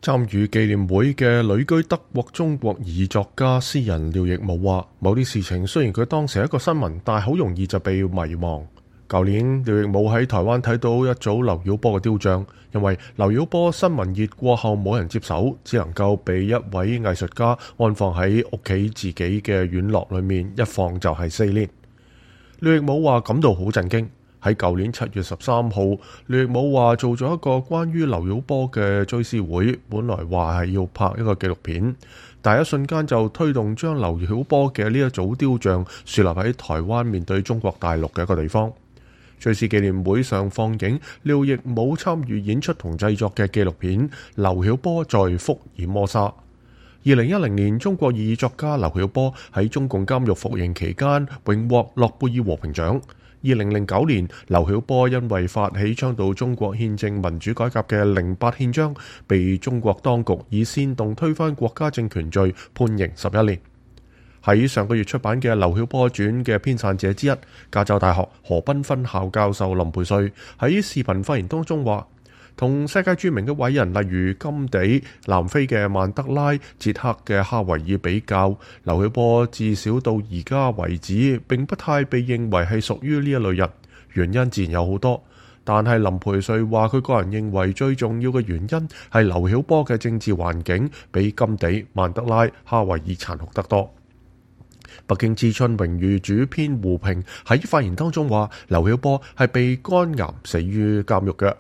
參與紀念會嘅旅居德國中國裔作家詩人廖亦武話：某啲事情雖然佢當時係一個新聞，但係好容易就被遺忘。舊年廖亦武喺台灣睇到一組劉曉波嘅雕像，因為劉曉波新聞熱過後冇人接手，只能夠被一位藝術家安放喺屋企自己嘅院落裏面，一放就係4年。廖亦武話感到好震驚。喺舊年7月13號，廖亦武話做咗一個關於劉曉波嘅追思會，本來話係要拍一個紀錄片，但一瞬間就推動將劉曉波嘅呢一組雕像樹立喺台灣面對中國大陸嘅一個地方。追思紀念會上放映廖亦武參與演出同製作嘅紀錄片《劉曉波在福爾摩沙》。2010年，中國裔作家劉曉波喺中共監獄服刑期間榮獲諾貝爾和平獎。2009年，劉曉波因為發起倡導中國憲政民主改革嘅08憲章，被中國當局以煽動推翻國家政權罪判刑11年。喺上個月出版嘅《劉曉波傳》嘅編纂者之一，加州大學河濱分校教授林培瑞喺視頻發言當中話，同世界著名嘅偉人例如甘地、南非嘅曼德拉、捷克嘅哈維爾比較，劉曉波至少到而家為止並不太被認為係屬於呢一類人。原因自然有好多，但係林培瑞話佢個人認為最重要嘅原因係劉曉波嘅政治環境比甘地、曼德拉、哈維爾殘酷得多。北京之春榮譽主編胡平喺發言當中話，劉曉波係被肝癌死於監獄嘅。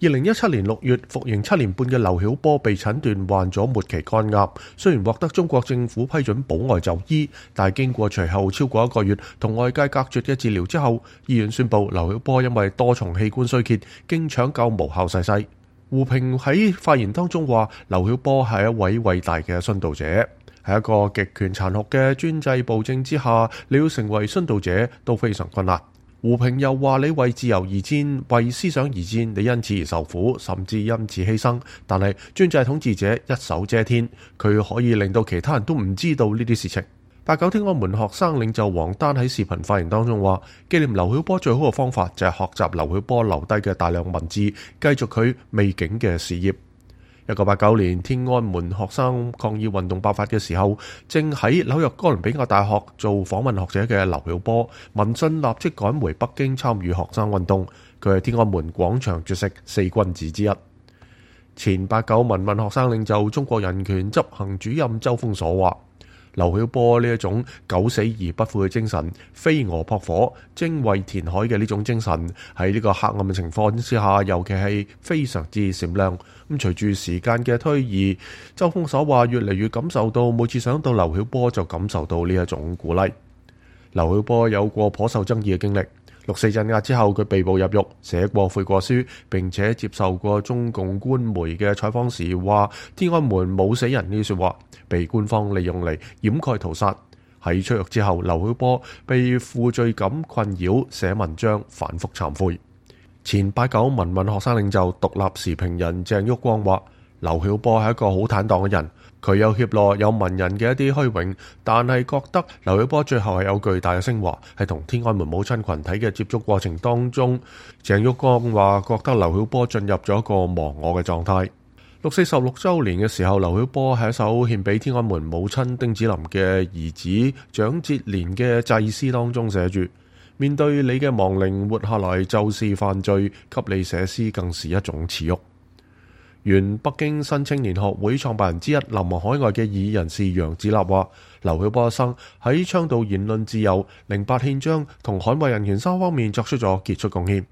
2017年6月，服刑7年半嘅劉曉波被診斷患咗末期肝癌，雖然獲得中國政府批准保外就醫，但係經過隨後超過1個月同外界隔絕嘅治療之後，醫院宣布劉曉波因為多重器官衰竭，經搶救無效逝世。胡平喺發言當中話，劉曉波係一位偉大嘅殉道者。喺一個極權殘酷嘅專制暴政之下，你要成為殉道者都非常困難。胡平又話，你為自由而戰，為思想而戰，你因此而受苦，甚至因此犧牲。但係專制統治者一手遮天，佢可以令到其他人都唔知道呢啲事情。89天安門學生領袖王丹喺視頻發言當中話，紀念劉曉波最好嘅方法就係學習劉曉波留低嘅大量文字，繼續佢未竟嘅事業。1989年，天安門學生抗議運動爆發嘅時候，正喺紐約哥倫比亞大學做訪問學者嘅劉曉波，聞訊立即趕回北京參與學生運動。佢係天安門廣場絕食4君子之一。前89民運學生領袖、中國人權執行主任周鋒鎖話，劉曉波呢一種九死而不悔嘅精神，飛蛾撲火、精衛填海嘅呢種精神，喺呢個黑暗嘅情況之下，尤其係非常之閃亮。咁隨住時間嘅推移，周鋒鎖話越嚟越感受到，每次想到劉曉波就感受到呢一種鼓勵。劉曉波有過頗受爭議嘅經歷，6四鎮壓之後佢被捕入獄，寫過悔過書，並且接受過中共官媒嘅採訪時話天安門冇死人呢啲說話，被官方利用嚟掩蓋屠殺。喺出獄之後，劉曉波被負罪感困擾，寫文章反覆懺悔。前89民運學生領袖、獨立時評人鄭旭光話，劉曉波係一個好坦蕩嘅人，佢有怯懦有文人嘅一啲虛榮，但係覺得劉曉波最後係有巨大嘅昇華。喺同天安門母親群體嘅接觸過程當中，鄭旭光話覺得劉曉波進入咗一個忘我嘅狀態。6四16週年嘅時候，劉曉波喺一首獻俾天安門母親丁子霖嘅兒子蔣捷連嘅祭詩當中寫住，面對你嘅亡靈，活下來就是犯罪，給你寫詩更是一種恥辱。原北京新青年學會創辦人之一、流亡海外嘅異議人士楊子立話，劉曉波一生喺倡導言論自由、08憲章同捍衛人權3方面作出咗傑出貢獻。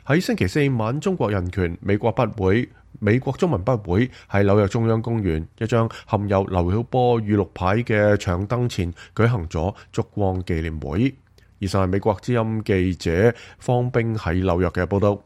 喺星期4晚，中國人權、美國筆會、美國中文筆會喺紐約中央公園一張含有劉曉波語錄牌嘅長燈前舉行咗燭光紀念會。以上係美國之音記者方冰喺紐約嘅報道。